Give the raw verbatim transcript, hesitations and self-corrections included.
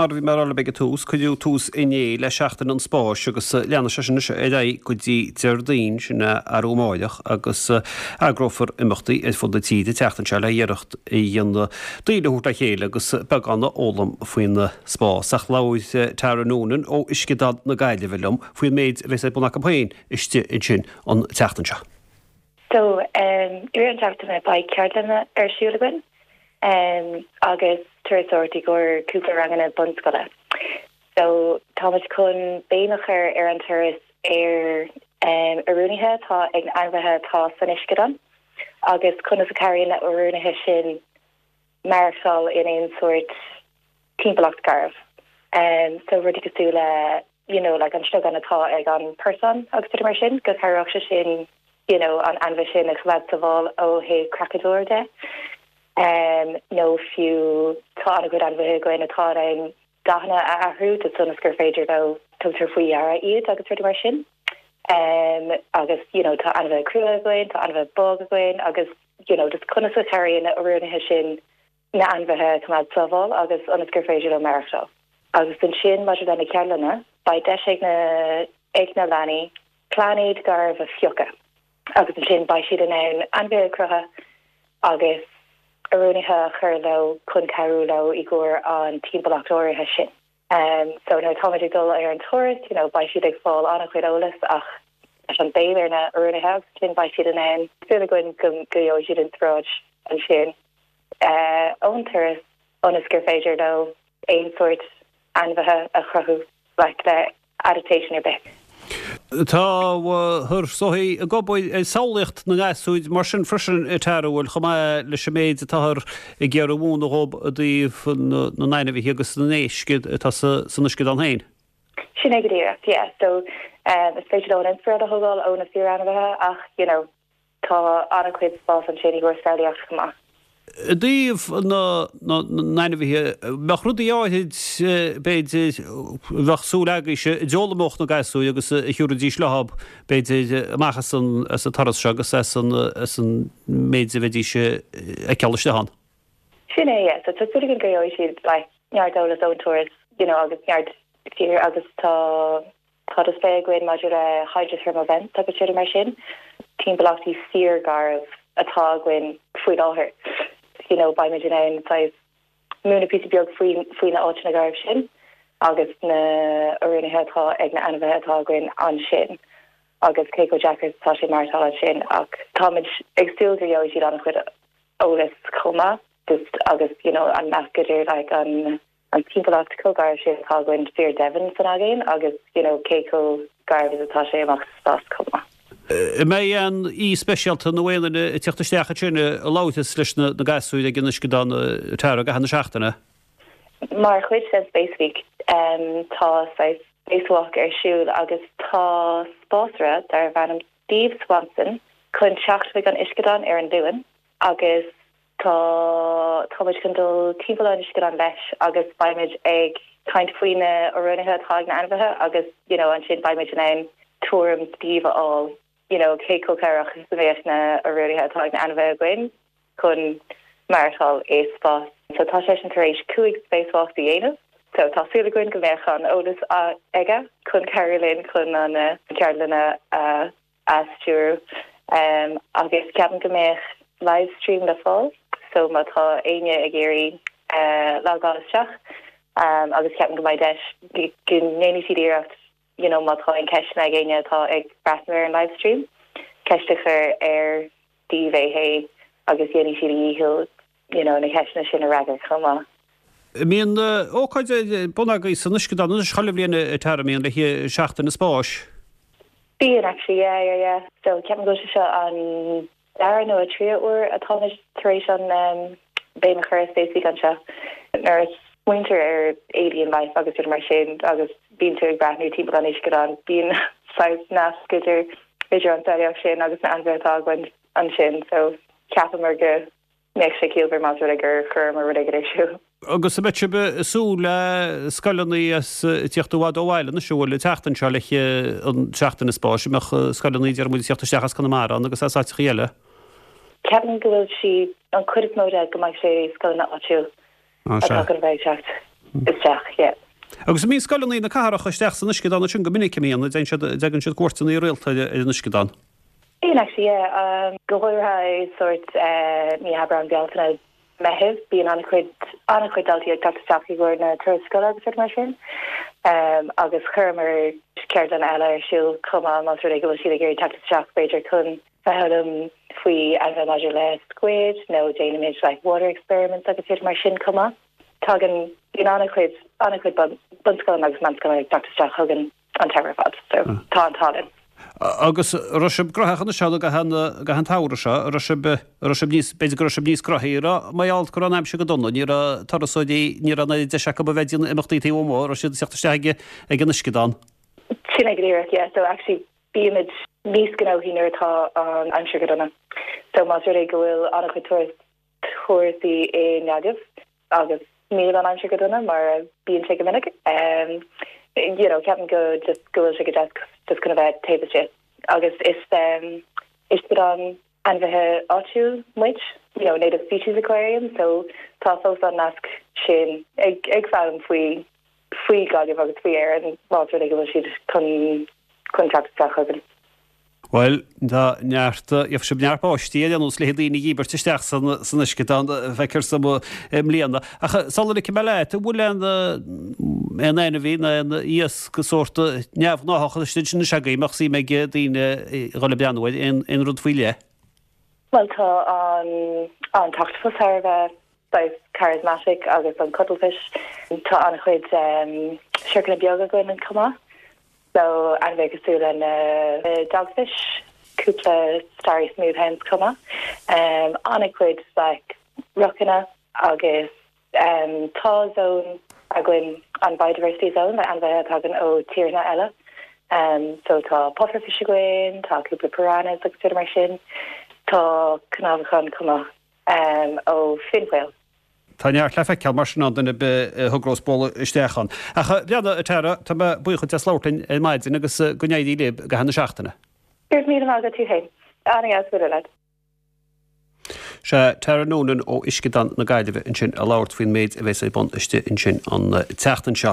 Mar a bhí mé a rá libh ag an tús, cuireadh tús inné le Seachtain an Spáis agus leanfaidh sé sin anois ar aghaidh go dtí Déardaoin, sin arú amáireach, agus eagrófar imeachtaí ar fud na tíre an tseachtain seo le iarracht a dhéanamh daoine a thabhairt le chéile agus beagán a fhoghlaim faoin spás. Ach labhair Tara Noonan ó Uisceadán na Gaillimhe liom faoin méid a bheas ar bun acu féin istigh ansin an tseachtain seo. So um, i rith an tseachtaine beidh ceardlanna ar siúl againn um, agus turasóireacht i gcomhair cúpla ranganna bunscoile. So táimid chun béim a chur ar an turas ar um, oiriúnuithe atá ag na ainmhithe atá san uisceadán agus conas a chabhraíonn na oiriúnuithe sin maireachtáil in aon sórt timpeallacht garbh. Um, so rudaí cosúil le you know, like an sliogán atá ag an person agus rudaí mar sin go cabhródh sé sin you know, an ainmhí sin a choimeád sábháilte ó thaobh creachadóir de. Um, nó fiú tá an-chuid ainmhithe againn atá an dathanna a athrú de ionas gur féidir leo tugtar faoi deara iad agus rudaí mar sin. Um, agus you know, tá ainmhithe crua againn, tá ainmhithe bog againn agus you know, just conas a chabhraíonn na oiriúnuithe sin na ainmhithe coimeád sábháilte agus ionas gur féidir leo maireachtáil. Agus ansin maidir le na ceardlanna, beidh deis ag na ag na leanaí pláinéad garbh a phiocadh. Agus ansin beidh siad in ann ainmhithe a chruthú agus oiriúnuithe a chur leo chun cabhrú leo i gcomhair an timpeallacht áirithe sin. Um, so nuair táimid ag dul ar an turas, you know, beidh siad ag fáil an-chuid eolas ach leis an béim ar na oiriúnuithe agus sin beidh siad in ann súil againn go go gheobhaidh siad inspioráid ansin uh, ón turas ionas gur féidir leo aon sórt ainmhithe a chruthú like, le adaptation ar bith. Tá thur sóthaí ag obair ar samhlaíocht na ngasúr mar sin freisin Tara bhfuil chomh maith leis an méid atáthar ag iarraidh a mhúineadh dóibh i dtaobh na n-ainmhithe agus na n-éisc atá san uisceadán féin. Sin é go díreach, yeah. So um, is féidir leo an inspioráid a thógáil ó na fíorainmhithe ach you know, tá an-chuid spás ansin i gcomhair samhlaíocht chomh maith. I dtaobh na n-ainmhithe bheadh rudaí áirid b'fhéidir bheadh súil agaibhse a d'fhoghlaimeodh na gasúir agus a thiúrfaidís leo b'fhéidir amach as an as an turas seo agus as an as an méid a bheidís ag ceol isteach ann. Sin é, yeah. So tá súil againn go gheobhaidh siad like, neart eolas ón turas, you know, agus neart tír agus tá tá display againn maidir le hydrothermal vents agus rudaí mar sin. Timpeallachtaí fíorgharbh atá againn faoi láthair. You know, beimid in ann saghas múineadh píosa beag faoi faoi na áiteanna garbh sin agus na oiriúnuithe atá ag na ainmhithe atá againn ansin agus cé chomh deacair tá sé maireachtáil ansin ach táimid ag súil go gheobhaidh siad an-chuid eolas chomh maith just agus you know, an nasc idir like, an an timpeallacht chomh garbh sin atá againn fíordhomhain san aigéan agus you know, cé chomh garbh is atá sé amach sa spás chomh maith. Mbeidh aon aoi speisialta nó aon duine ag teacht isteach ansin a labhróidh leis na na gasúir ag an uisceadán Tara i gcaitheamh na seachtaine. Mar chuid den Space Week um, tá saghas Spacewalk ar siúl agus tá spásaire darb ainm Steve Swanson chun teacht chuig an uisceadán ar an Luan agus tá táimid chun dul timpeall an uisceadán leis agus beimid ag caint faoi na oiriúnuithe atá ag na ainmhithe agus you know, ansin beimid in ann tuairim Steve a fháil you know, cé chomh cabhrach is a bheadh na oiriúnuithe atá ag na ainmhithe againn chun maireachtáil i spás. So tá sé sin tar éis cúig spacewalk a dhéanamh. So tá súil againn go mbeadh an eolas aige chun cabhrú linn chun an uh, ceardlanna uh, a stiúradh. Um, agus ceapaim go mbeadh livestream le fáil, so má tá éinne ag iarraidh uh, logáil isteach um, agus ceapaim go mbeidh deis go ndéanfaidh siad iarracht you know, má tá aon cheisteanna ag éinne atá ag breathnú ar an livestream, ceist a chur ar Steve é féin agus dhéanfaidh siad a dhícheall you know, na ceisteanna sin a fhreagairt chomh maith. Mbíonn ócáid ar bun agaibh san uisceadán anois chuile bhliain Tara mbíonn le Seachtain an Spáis. Bíonn actually yeah, yeah, yeah. So ceapaim go seo an dara nó a tríú huair atáimid tar éis an um, béim a chur Space Week anseo. Nuair a smaointear ar alien life agus rudaí mar sin agus bíonn tú ag breathnú timpeall an uisceadán bíonn saghas nasc idir idir an tsamhlaíocht sin agus na ainmhithe atá againn ansin so ceapamar go mbeadh sé ciallmhar más rud é gur chuireamar rud éigin ar siúl. Agus an mbeidh sibh ag súil le scoileanna as tíocht i bhfad ó bhaile na siúil le teachtain seo le an Seachtain an Spáis, mbeadh scoileanna deir muid tíocht isteach as Conamara agus as áiteacha eile. Ceapaim go bhfuil sí an chuid is mó de go mbeidh sé scoileanna áitiúil atá chun bheith ag teacht. isteach, yeah. Agus an mbíonn scoileanna na cathrach isteach san uisceadán ansin go minic, an mbíonn, an dtagann siad cuairteanna rialta ar an uisceadán? Bíonn actually, yeah. Um, go háirithe i sort uh, mí Aibreán, Bealtaine, Meitheamh, bíonn an-chuid an-chuid daltaí ag teacht isteach i gcomhair na turas scoile agus rudaí mar sin. Um, agus chuireamar ceardlann eile ar siúl chomh maith más rud é go bhfuil siad ag iarraidh teacht isteach b'fhéidir chun foghlaim faoi ainmhithe maidir le squid nó déanaimid like water experiments agus rudaí mar sin chomh maith. Tagann bíonn an-chuid an-chuid bunscoileanna agus meánscoileanna ag teacht isteach chugainn an t-am ar fad, so tá an t-ádh linn. Agus raibh sibh gnóthach an seo go han t-samhradh seo, raibh sibh raibh sibh níos b'fhéidir go raibh sibh níos gnóthaí mar gheall go raibh an aimsir go dona, ní raibh turasóirí ní raibh an deis acu a bheith ag déanamh imeachtaí taobh amuigh, raibh siad ag teacht isteach ag ag an uisceadán. Sin é go díreach, yeah, so actually bímid níos gnóthaí nuair atá an aimsir go dona. So más rud é go bhfuil an-chuid turas turasóirí i nGaillimh agus níl an aimsir go dona mar bíonn sé go minic. Um, you know, ceapaim go just go bhfuil sé go deas just chun a bheith taobh istigh. Agus is um, uisceadán ainmhithe áitiúil muid, you know, native species aquarium, so tá fós an nasc sin ag ag foghlaim faoi faoi Gaillimh agus faoi Éirinn más rud é go bhfuil siad chun chun teacht isteach chugainn. Bhuel, tá neart gheobhaidh sibh neart báistí ar aon nós le daoine a dhíbirt isteach san san uisceadán feictear dom i mbliana. Ach sula ligfidh mé leat, an bhfuil aon aon ainmhí nó aon iasc sórt neamhghnáthach istigh ansin anois agaibh, a mbeadh suim ag daoine dhul ag breathnú air, aon aon rud faoi leith? Well tá an an t-ochtapus thar a bheith saghas charismatic agus an cuttlefish. Tá an-chuid um, siorcanna beaga againn chomh maith. So ainmhithe cosúil le na uh, dogfish, cúpla starry smooth hounds chomh maith. Um, an-chuid like rochanna agus um, tá zone againn an biodiversity zone le ainmhithe a thagann ó tíortha eile. Um, so tá pufferfish againn, tá cúpla piranhas agus rudaí mar sin, tá cnámhachán chomh maith um, ó fin whale. Tá neart le feiceáil mar sin an duine a thogrós bualadh isteach ann. Ach breathnaigh a Tara, tá mé buíoch as labhairt linn ar maidin agus go n-éirí libh i gcaitheamh na seachtaine. Go raibh míle maith agat tú féin. An-dheas bualadh leat. Sé Tara Noonan ó Uisceadán na Gaillimhe ansin ag labhairt faoin méid a bheas ar bun istigh ansin an tseachtain seo.